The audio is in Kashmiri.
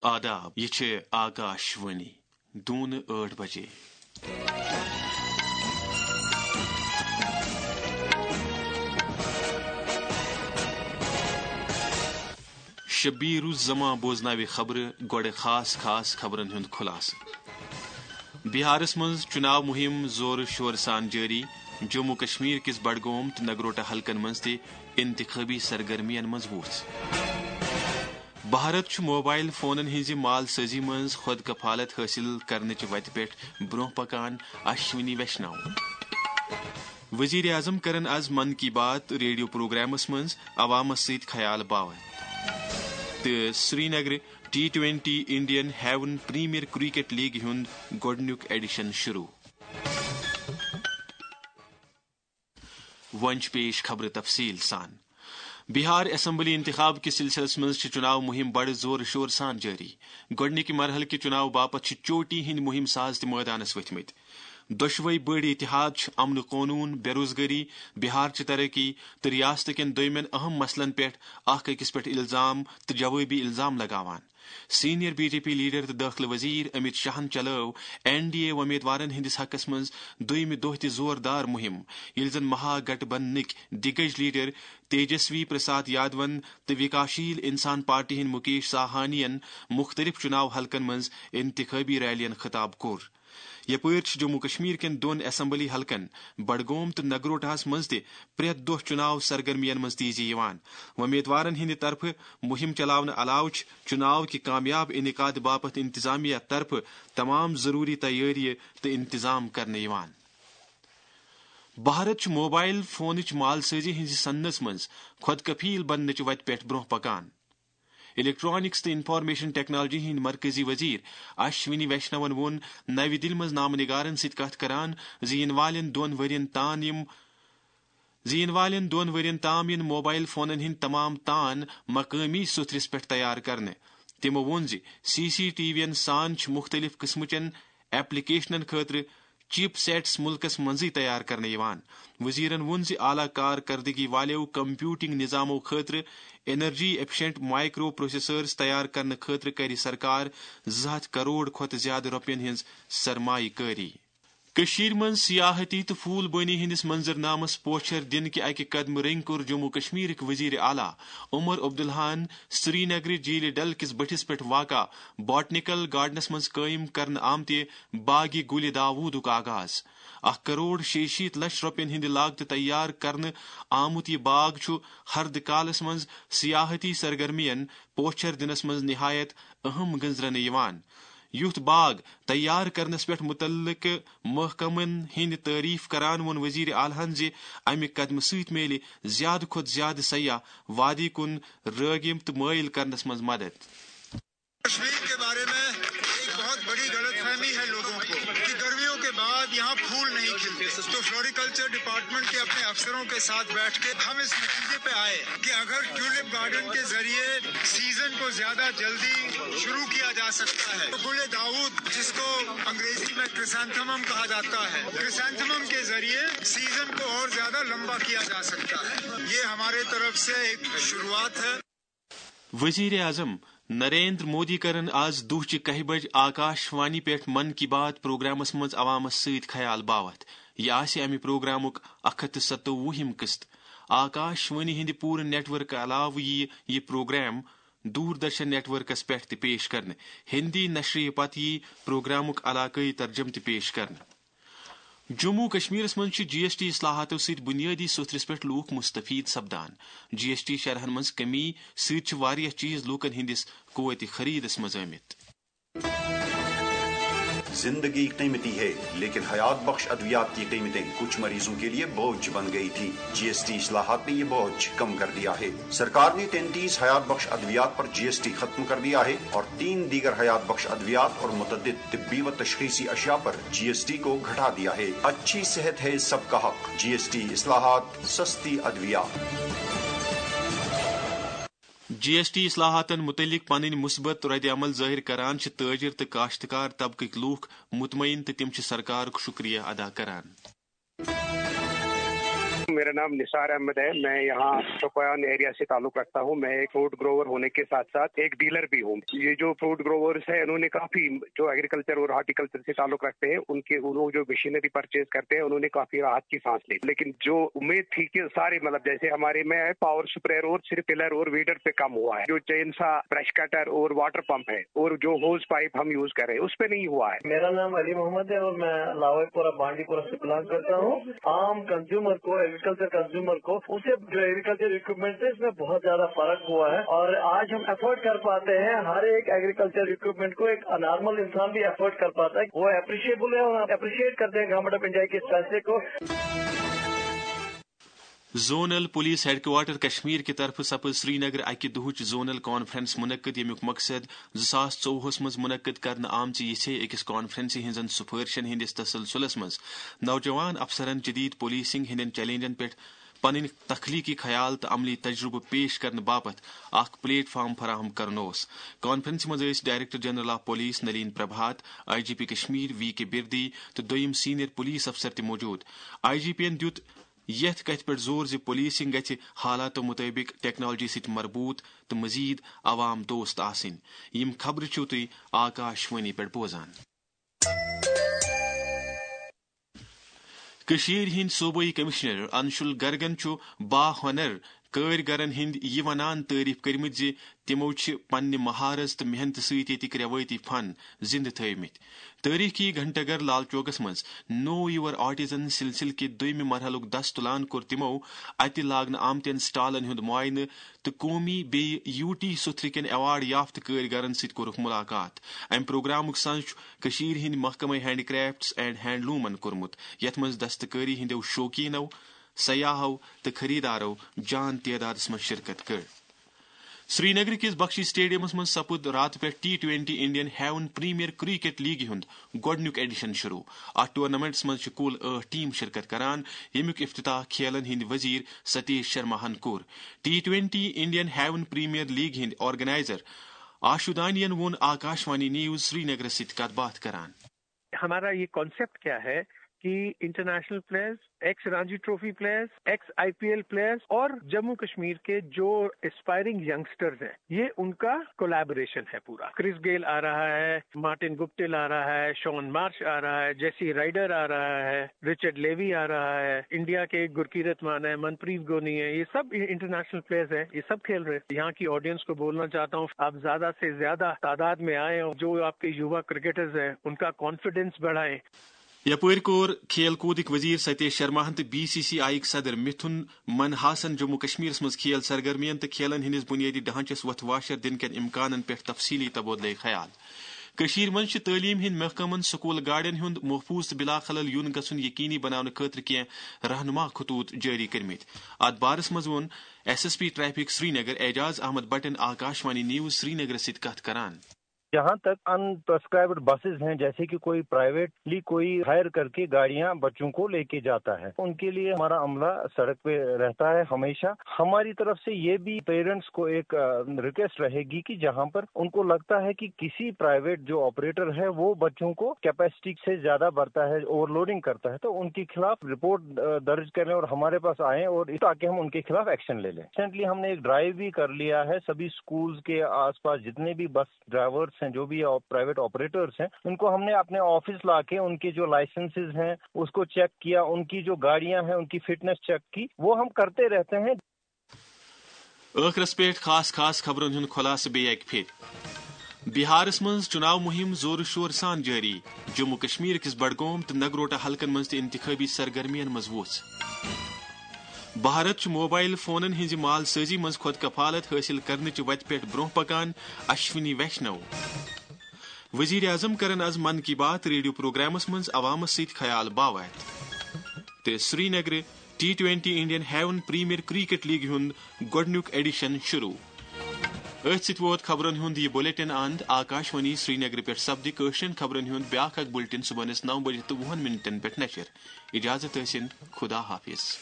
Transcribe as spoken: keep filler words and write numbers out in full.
آداب، یہِ چھِ آکاش وانی، دوٗنہٕ ٲٹھ بجے۔ شبیر الزمان بوزناوِ خبرٕ، گۄڈٕ خاص خاص خبرن ہُنٛد خُلاصہٕ۔ بِہارس منٛز چُناو مُہِم زورٕ شورٕ سان جٲری، جموں کشمیر کِس بڈگوم تہٕ نگروٹہ حلقن منٛز تہِ انتخٲبی سرگرمین منٛز وُژھ۔ بھارت چھُ موبائل فونن ہٕنٛزِ مال سٲزی منٛز خۄد کفالت حٲصِل کرنٕچہِ وتہِ پٮ۪ٹھ برٛونٛہہ پکان، اشونی ویشنو۔ وزیر اعظم کرن از من کی بات ریڈیو پروگرامس منٛز عوامس سۭتۍ خیال باوت۔ تہٕ سرینگرٕ T twenty Indian heaven premier cricket لیگہِ ہُنٛد گۄڈٕنیُک ایڈیشن شروع۔ وۄنۍ چھِ پیش خبرٕ تفصیٖل سان۔ بِہار اسمبلی انتخاب کِس سلسلس منٛز چھِ چُناو مُہِم بڑٕ زورٕ شورٕ سان جٲری۔ گۄڈٕنِکہِ مرحلہٕ کہِ چُناو باپتھ چھِ چوٹی ہٕنٛدۍ مُہِم ساز تہِ مٲدانس ؤتھۍ مٕتۍ۔ دۄشوے بٔڑۍ اتحاد چھِ امن و قونوٗن، بے روزگٲری، بِہار چہِ ترقی تہٕ ریاست کٮ۪ن دوٚیمٮ۪ن اہم مسلن پٮ۪ٹھ اکھ أکِس پٮ۪ٹھ الزام تہٕ جوٲبی الزام لگاوان۔ Senior B J P leader تہٕ دٲخلہٕ وزیر امت شاہن چلٲو این ڈی اے وۄمیدوارن ہٕنٛدِس حقس منٛز دوٚیمہِ دۄہ تہِ زوردار مُہِم، ییٚلہِ زن مہا گٹھ بندھنٕکۍ دِگج لیڈر تیجسوی پرساد یادون تہٕ وکاشیل انسان پارٹی ہٕنٛدۍ مُکیش ساہانین مُختٔلِف چُناو حلقن منٛز انتخٲبی ریلین خطاب کوٚر۔ یپٲرۍ چھِ جموں کشمیر کٮ۪ن دۄن اسمبلی حلقن، بڈگوم تہٕ نگروٹاہس منٛز تہِ پرٛٮ۪تھ دۄہ چُناو سرگرمین منٛز تیزی یِوان۔ وۄمیدوارن ہٕنٛدِ طرفہٕ مُہِم چلاونہٕ علاوٕ چھِ چُناو کہِ کامیاب انعقاد باپتھ انتظامیہ طرفہٕ تمام ضروٗری تیٲریہِ تہٕ انتظام کرنہٕ یِوان۔ بھارت چھُ موبائل فونٕچ مال سٲزی ہٕنٛزِ صنعتس منٛز خۄد کفیل بننٕچہِ وتہِ پٮ۪ٹھ برٛونٛہہ پکان۔ الیکٹرانکس تہٕ انفارمیشن ٹیکنالوجی ہٕنٛدۍ مرکزی وزیر اشونی ویشنون ووٚن نَوِ دِلہِ منٛز نامہٕ نگارن سۭتۍ کتھ کران زِ یِنہٕ والٮ۪ن دۄن ؤرین تام یِم زِ یِنہٕ والٮ۪ن دۄن ؤرین تام یِن موبائل فونن ہٕنٛدۍ تمام تان مقٲمی سُتھرِس پٮ۪ٹھ تیار کرنہٕ۔ تِمو ووٚن زِ سی سی ٹی وی ین سان چھِ مُختٔلِف قٕسمٕچٮ۪ن ایپلیکیشنن خٲطرٕ چپ سیٹس مُلکس منٛزٕے تیار کرنہٕ یِوان۔ وزیرن ووٚن زِ اعلیٰ کارکردگی والٮ۪و کمپیوٹنگ نظامو خٲطرٕ انرجی ایفیشنٹ مائیکرو پروسیسرز تیار کرنہٕ خٲطرٕ کرِ سرکار زٕ ہتھ کروڑ کھۄتہٕ زیادٕ رۄپین ہٕنٛز سرمایہ کٲری۔ کٔشیٖرِ منٛز سیاحتی تہٕ پھول بٲنی ہٕنٛدِس منظرنامس پوچھر دِنہٕ کہِ اکہِ قدمہٕ رٔنگۍ کوٚر جموں کشمیرٕکۍ وزیر اعلیٰ عمر عبداللہن سرینگرٕ جھیلہِ ڈل کِس بٔٹھِس پٮ۪ٹھ واقع بوٹنیکل گارڈنس منٛز قٲیِم کرنہٕ آمتہِ باغِ گُلِ داوودُک آغاز۔ اکھ کروڑ شیٚیہِ شیٖتھ لچھ رۄپین ہٕنٛدِ لاگتہٕ تیار کرنہٕ آمُت یہِ باغ چھُ ہردٕ کالس منٛز سیاحتی سرگرمین پوچھر دِنس منٛز نہایت اہم گٔنزرنہٕ یِوان۔ یُتھ باغ تیار کرنس پٮ۪ٹھ متعلقہٕ محکمن ہٕنٛدِ تعریف کران ووٚن وزیر اعلیٰ ہن زِ امہِ قدمہٕ سۭتۍ میلہِ زیادٕ کھۄتہٕ زیادٕ سیاح وادی کُن رٲغب تہٕ مٲیِل کرنس منٛز مدد۔ کشمیر کے بارے میں ایک بہت بڑی غلط فہمی ہے لوگوں کو کہ گرمیوں کے بعد یہاں پھول نہیں کھلتے، تو فلوریکلچر ڈپارٹمنٹ کے اپنے افسروں کے ساتھ بیٹھ کے ہم اس نتیجے پہ آئے کہ اگر ٹیولپ گارڈن کے ذریعے سیزن کو زیادہ جلدی شروع کیا جا سکتا ہے، تو گل داؤد، جس کو انگریزی میں کرسانتھمم کہا جاتا ہے، کرسانتھمم کے ذریعے سیزن کو اور زیادہ لمبا کیا جا سکتا ہے۔ یہ ہمارے طرف سے ایک شروعات ہے۔ وزیر اعظم نریندر مودی کرن آز دُہچہِ کاہہِ بج آکاش وانی پٮ۪ٹھ من کی بات پروگرامس منٛز عوامس سۭتۍ خیال باوتھ۔ یہِ آسہِ امہِ پروگرامُک اکھ ہتھ تہٕ ستووُہِم قسط۔ آکاش وانی ہٕنٛدِ پوٗرٕ نیٹ ورک علاوٕ یِیہِ یہِ پروگرام دوردرشن نیٹ ورکس پٮ۪ٹھ تہِ پیش کرنہٕ۔ ہندی نشرِ پتہٕ یِیہِ پروگرامُک علاقٲیی ترجمہٕ تہِ پیش کرنہٕ۔ جموں کشمیرس منٛز چھِ جی ایس ٹی اصلاحاتو سۭتۍ بنیٲدی سوٚتھرِس پٮ۪ٹھ لوٗکھ مستفید سپدان۔ جی ایس ٹی شرحن منٛز کمی سۭتۍ چھِ واریاہ چیز لوٗکن ہٕنٛدِس قوتِ خریدس منٛز آمٕتۍ۔ زندگی قیمتی ہے، لیکن حیات بخش ادویات کی قیمتیں کچھ مریضوں کے لیے بوجھ بن گئی تھی۔ جی ایس ٹی اصلاحات نے یہ بوجھ کم کر دیا ہے۔ سرکار نے تینتیس حیات بخش ادویات پر جی ایس ٹی ختم کر دیا ہے اور تین دیگر حیات بخش ادویات اور متعدد طبی و تشخیصی اشیاء پر جی ایس ٹی کو گھٹا دیا ہے۔ اچھی صحت ہے سب کا حق۔ جی ایس ٹی اصلاحات، سستی ادویات۔ جی ایس ٹی اصلاحاتن متعلق پنٕنۍ مثبت رد عمل ظٲہر کران چھِ تٲجر تہٕ کاشتکار طبقٕکۍ لوٗکھ مطمئن تہٕ تِم چھِ سرکارُک شکریہ ادا کران۔ मेरा नाम निसार अहमद है। मैं यहाँ शोपियान एरिया से ताल्लुक रखता हूँ। मैं एक फ्रूट ग्रोवर होने के साथ साथ एक डीलर भी हूँ। ये जो फ्रूट ग्रोवर्स है, इन्होंने काफी, जो एग्रीकल्चर और हॉर्टिकल्चर से ताल्लुक रखते हैं, उनके, वो लोग जो मशीनरी परचेज करते हैं, उन्होंने काफी राहत की सांस ली। लेकिन जो उम्मीद थी कि सारे, मतलब, जैसे हमारे में है पावर स्प्रेयर और सिर्फ टिलर और वीडर पे काम हुआ है, जो चेन सा, ब्रश कटर और वाटर पंप है और जो होज पाइप हम यूज कर रहे हैं, उस पे नहीं हुआ है। मेरा नाम अली मोहम्मद है और मैं लावाईपुरा बांडीपुरा से बिलोंग करता हूँ। आम कंज्यूमर को, एग्रीकल्चर कंज्यूमर को, उसे जो एग्रीकल्चर इक्विपमेंट है, इसमें बहुत ज्यादा फर्क हुआ है और आज हम अफोर्ड कर पाते हैं हर एक एग्रीकल्चर इक्विपमेंट को। एक नॉर्मल इंसान भी अफोर्ड कर पाता है, वो अप्रिशिएबल है और हम अप्रिशिएट करते हैं गवर्नमेंट ऑफ इंडिया के इस फैसले को। Zonal police headquarter Kashmir کہِ طرفہٕ سپٕز سرینگر اکہِ دۄہٕچ زونل کانفرنس منعقد، ییٚمیُک مقصد زٕ ساس ژوٚوُہس منٛز منعقد کرنہٕ آمژِ یِژھے أکِس کانفرنسہِ ہٕنٛزن سفٲرشن ہٕنٛدِس تسلسلس منٛز نوجوان افسرن جدید پولیسنگ ہٕنٛدٮ۪ن چیلنجن پٮ۪ٹھ پنٕنۍ تخلیقی خیال تہٕ عملی تجربہٕ پیش کرنہٕ باپتھ اکھ پلیٹ فارم فراہم کرُن اوس۔ کانفرنسہِ منٛز ٲسۍ director general of police Nalin Prabhat, I G P Kashmir V K Birdi تہٕ دوٚیم سینئر پولیس افسر تہِ موجود۔ آئی جی پی یَن دیُت یَتھ کَتھِ پٮ۪ٹھ زور زِ پولیسنگ گژھِ حالاتو مُطٲبِق ٹیکنالوجی سۭتۍ مربوط تہٕ مزید عوام دوست آسٕنۍ۔ یِم خبرٕ چھِو تُہۍ آکاش وانی پٮ۪ٹھ بوزان۔ کٔشیٖرِ ہٕنٛدۍ صوبٲئی کمشنر انشول گرگن چھُ با ہنر کٲرۍ گرن ہٕنٛدۍ یہِ ونان تعریف کٔرمٕتۍ زِ تِمو چھِ پننہِ مہارت تہٕ محنتہٕ سۭتۍ ییٚتِکۍ رٮ۪وٲیتی فن زِنٛدٕ تھٲومٕتۍ۔ تٲریخی گھنٹہ گھر لال چوکس منٛز نو یور آٹزن سلسلہٕ کہِ دوٚیمہِ مرحلُک دس تُلان کوٚر تِمو اتہِ لاگنہٕ آمتٮ۪ن سٹالن ہُنٛد معائنہٕ تہٕ قومی بیٚیہِ یو ٹی سُتھرٕ کٮ۪ن ایوارڈ یافتہٕ کٲرۍ گرن سۭتۍ کوٚرُکھ مُلاقات۔ امہِ پروگرامُک سنز چھُ کٔشیٖرِ ہٕنٛدۍ محکمے ہینڈ کرافٹس اینڈ ہینڈلومن کوٚرمُت، یتھ منٛز دستکٲری ہٕنٛدیو شوقیٖنو، سیاحو تہٕ خریدارو جان تعدادس منٛز شرکت کٔر۔ سرینگر کِس بخشی سٹیڈیمس منٛز سپُد راتہٕ پٮ۪ٹھ T twenty Indian heaven premier cricket لیگہِ ہُنٛد گۄڈٕنیُک ایڈیشن شروع۔ اتھ ٹورنامنٹس منٛز چھِ کُل ٲٹھ ٹیم شرکت کران، ییٚمیُک افتتاح کھیلن ہٕنٛدۍ وزیر ستیش شرماہن کوٚر۔ T twenty Indian heaven premier لیگہِ ہٕنٛدۍ آرگنائزر آشو دانین ووٚن آکاشوانی نیوز سرینگرس سۭتۍ کتھ باتھ کران۔ ہمارا یہ کانسیپٹ کیا ہے کہ international players, x Ranji trophy players, x I P L players اور جموں کشمیر کے جو اسپائرنگ ینگسٹرز ہیں، یہ ان کا کولیبوریشن ہے پورا۔ کرس گیل آ رہا ہے، مارٹن گپٹل آ رہا ہے، شون مارش آ رہا ہے، جیسی رائڈر آ رہا ہے، رچرڈ لیوی آ رہا ہے، انڈیا کے گرکیرت مان ہے، منپریت گونی ہے، یہ سب انٹرنیشنل پلیئرز ہیں، یہ سب کھیل رہے ہیں۔ یہاں کی آڈینس کو بولنا چاہتا ہوں، آپ زیادہ سے زیادہ تعداد میں آئیں اور جو آپ کے یووا کرکٹرز ہیں، ان کا کانفیڈنس بڑھائیں۔ یپٲرۍ کوٚر کھیل کوٗدٕکۍ وزیر ستیش شرماہن تہٕ بی سی سی آیٕکۍ صدر مِتھُن منہاسن جموں کشمیرس منٛز کھیل سرگرمین تہٕ کھیلن ہٕنٛدِس بُنیٲدی ڈھانچس وۄتھٕ واشر دِنہٕ کٮ۪ن امکانن پٮ۪ٹھ تفصیٖلی تبادلے خیال۔ کٔشیٖرِ منٛز چھِ تعلیٖم ہٕنٛدۍ محکمن سکوٗل گاڑٮ۪ن ہُنٛد محفوٗظ تہٕ بلاخلل یُن گژھُن یقینی بناونہٕ خٲطرٕ کینٛہہ رہنما خطوط جٲری کٔرمٕتۍ۔ اتھ بارس منٛز ووٚن S S P traffic Srinagar Ejaz Ahmad بٹن آکاشوانی نیوز سرینگرس سۭتۍ کتھ کران۔ جہاں تک ان پرسکرائبڈ بسز ہیں، جیسے کہ کوئی پرائیویٹلی کوئی ہائر کر کے گاڑیاں بچوں کو لے کے جاتا ہے، ان کے لیے ہمارا عملہ سڑک پہ رہتا ہے ہمیشہ۔ ہماری طرف سے یہ بھی پیرنٹس کو ایک ریکویسٹ رہے گی کہ جہاں پر ان کو لگتا ہے کہ کسی پرائیویٹ جو آپریٹر ہے وہ بچوں کو کیپیسٹی سے زیادہ بھرتا ہے، اوور لوڈنگ کرتا ہے، تو ان کے خلاف رپورٹ درج کریں اور ہمارے پاس آئیں اور تاکہ ہم ان کے خلاف ایکشن لے لیں۔ ریسنٹلی ہم نے ایک ڈرائیو بھی کر لیا ہے، سبھی اسکولز کے آس پاس جتنے بھی بس ڈرائیورز ہیں، جو بھی پرائیویٹ آپریٹرز ہیں، ان کو ہم نے اپنے آفس لا کے ان کے جو لائسنسز ہیں اس کو چیک کیا، ان کی جو گاڑیاں ہیں ان کی فٹنس چیک کی، وہ ہم کرتے رہتے ہیں۔ ٲخرس پٮ۪ٹھ خاص خاص خبرن ہُنٛد خلاصہٕ بیٚیہِ اکہِ پھِرِ۔ بِہارس منٛز چُناو مُہِم زورٕ شورٕ سان جٲری۔ جموں کشمیر کِس بڈگوم تہٕ نگروٹا حلقن منٛز تہِ انتخٲبی سرگرمین منٛز وُژھ۔ بھارت چھُ موبائل فونن ہٕنٛزِ مال سٲزی منٛز خۄد کفالت حٲصِل کرنٕچہِ وتہِ پٮ۪ٹھ برٛونٛہہ پکان، اشونی ویشنو۔ وزیر اعظم کرن از من کی بات ریڈیو پروگرامس منٛز عوامس سۭتۍ خیال باوتھ۔ تہٕ سرینگرٕ T twenty Indian heaven premier cricket لیگہِ ہُنٛد گۄڈٕنیُک ایڈیشن شروع۔ أتھۍ سۭتۍ ووت خبرن ہُنٛد یہِ بلیٹن اند۔ آکاشوانی سرینگرٕ پٮ۪ٹھ سپدِ کٲشرٮ۪ن خبرن ہُنٛد بیٛاکھ اکھ بلیٹن صبحنس نو بجہِ تہٕ وُہن منٹن پٮ۪ٹھ نشر۔ اجازت ٲسِن، خدا حافظ۔